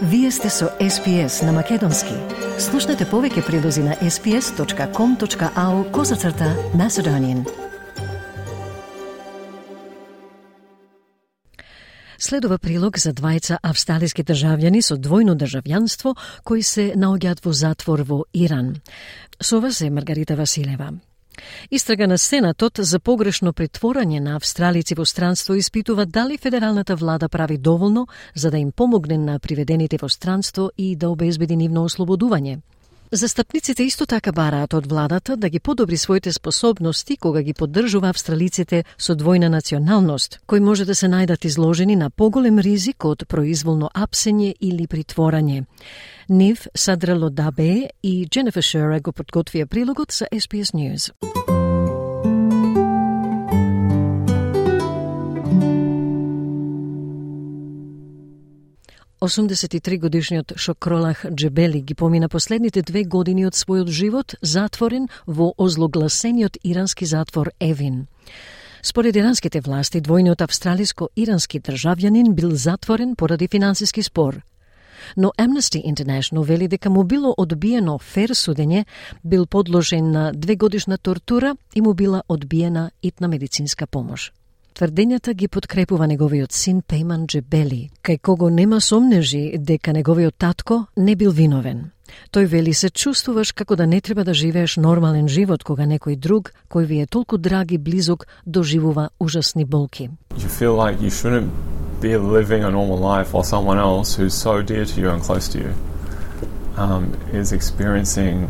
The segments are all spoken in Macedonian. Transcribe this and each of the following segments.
Вие сте со SPS на Македонски. Слушнете повеќе прилози на sps.com.au/Macedonian. Следува прилог за двајца австралиски државјани со двојно државјанство кои се наоѓаат во затвор во Иран. Со вас е Маргарита Василева. Истрага на Сенатот за погрешно притворање на австралици во странство испитува дали федералната влада прави доволно за да им помогне на приведените во странство и да обезбеди нивно ослободување. Застапниците исто така бараат од владата да ги подобри своите способности кога ги поддржува австралиците со двојна националност, кои може да се најдат изложени на поголем ризик од произволно апсење или притворање. Нив Садрело Дабе и Дженефер Шера го подготвија прилогот за SBS News. Осумдесетитригодишниот Шокролах Джебели ги помина последните 2 години од својот живот затворен во озлогласениот ирански затвор Евин. Според иранските власти, двојниот австралиско-ирански државјанин бил затворен поради финансиски спор. Но Amnesty International вели дека му било одбиено фер судење, бил подложен на 2-годишна тортура и му била одбиена итна медицинска помош. Тврдењата ги подкрепува неговиот син Пейман Джебели, кај кого нема сомнежи дека неговиот татко не бил виновен. Тој вели се чувствуваш како да не треба да живееш нормален живот кога некој друг, кој ви е толку драг и близок, доживува ужасни болки. You feel like you shouldn't be living a normal life while someone else who's so dear to you and close to you is experiencing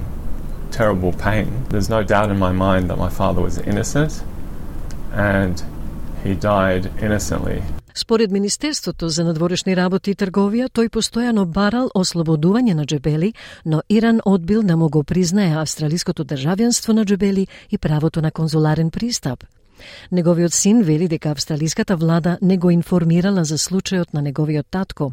terrible pain. There's no doubt in my mind that my father was innocent and he died innocently. Според Министерството за надворешни работи и трговија, тој постојано барал ослободување на Джебели, но Иран одбил да му го признае австралиското државјанство на Джебели и правото на конзуларен пристап. Неговиот син вели дека австралиската влада не го информирала за случајот на неговиот татко.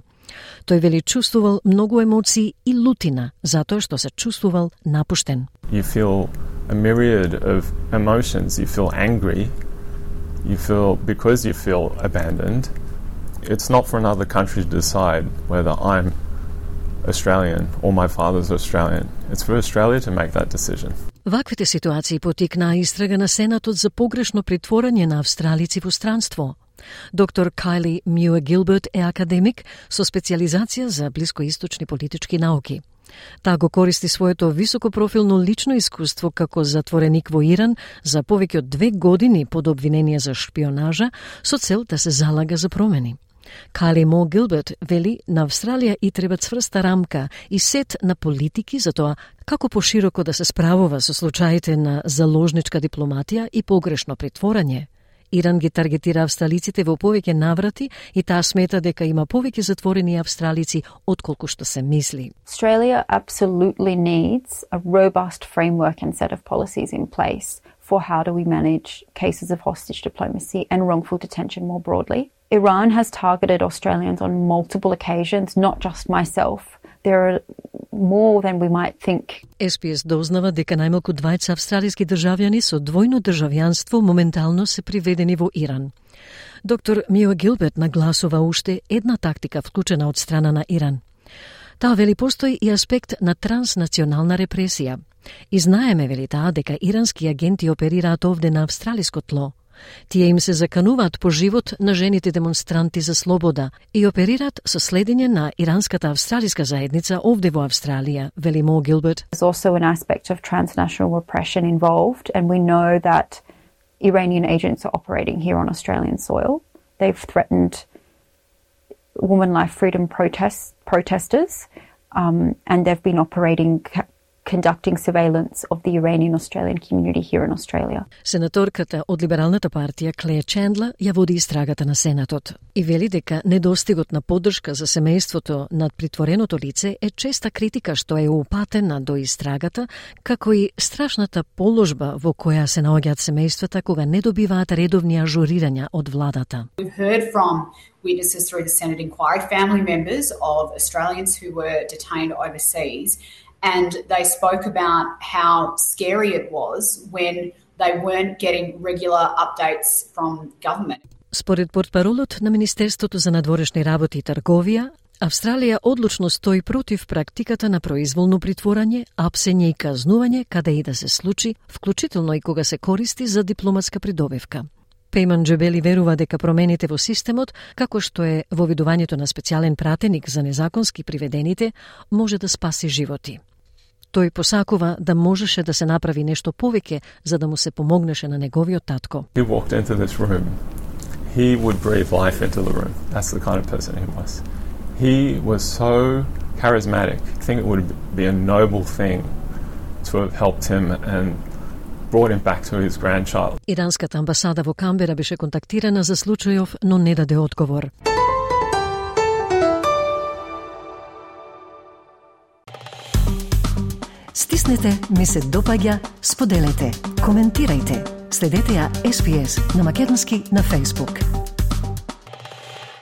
Тој вели чувствувал многу емоции и лутина, затоа што се чувствувал напуштен. You feel a myriad of emotions. You feel angry. You feel, because you feel abandoned, it's not for another country to decide whether I'm Australian or my father's Australian. It's for Australia to make that decision. Ваквите ситуации потикнаа истрага на Сенатот за погрешно притворање на австралици во странство. Доктор Кайли Мюе Гилберт е академик со специализација за блискоисточни политички науки. Таа го користи своето високопрофилно лично искуство како затвореник во Иран за повеќе од 2 години под обвинение за шпионажа со цел да се залага за промени. Кайли Мо Гилберт вели на Австралија и треба цврста рамка и сет на политики за тоа како пошироко да се справува со случаите на заложничка дипломатија и погрешно притворање. Иран ги таргетира австралиците во повеќе наврати и таа смета дека има повеќе затворени австралици отколку што се мисли. Australia absolutely needs a robust framework and set of policies in place for how do we manage cases of hostage diplomacy and wrongful detention more broadly. Iran has targeted Australians on multiple occasions, not just myself. There are more than we might think. SPS дознава дека најмалку 20 австралиски државјани со двојно државјанство моментално се приведени во Иран. Доктор Мюе Гилберт нагласува уште една тактика вклучена од страна на Иран. Таа вели постои и аспект на транснационална репресија. И знаеме, вели таа, дека ирански агенти оперираат овде на австралиско тло. Тие им се закануваат по живот на жените демонстранти за слобода и оперираат со следење на иранската австралиска заедница овде во Австралија, вели Мо Гилберт. There's also an aspect of transnational repression involved, and we know that Iranian agents are operating here on Australian soil. They've threatened women life freedom protesters, and they've been operating conducting surveillance of the Iranian-Australian community here in Australia. Сенаторката од либералната партија Клея Чендла ја води истрагата на Сенатот и вели дека недостигот на поддршка за семејството над притвореното лице е честа критика што е упатена до истрагата, како и страшната положба во која се наоѓаат семејствата кога не добиваат редовни ажурирања од владата. We've heard from witnesses through the Senate inquiry, family members of Australians who were detained overseas, and they spoke about how scary it was when they weren't getting regular updates from government. Според портпаролот на Министерството за надворешни работи и трговија, Австралија одлучно стои против практиката на произволно притворање, апсење и казнување каде и да се случи, вклучително и кога се користи за дипломатска придобивка. Пејман Джебели верува дека промените во системот, како што е воведувањето на специјален пратеник за незаконски приведените, може да спаси животи. Тој посакува да можеше да се направи нешто повеќе за да му се помогнеше на неговиот татко. He walked into this room. He would breathe life into the room. That's the kind of person he was. He was so charismatic. I think it would be a noble thing to have helped him and brought him back to his grandchild. Иранската амбасада во Камбера беше контактирана за случајов, но не даде одговор. Стиснете, ми се допаѓа, споделете, коментирајте. Следете ја SPS на македонски на Facebook.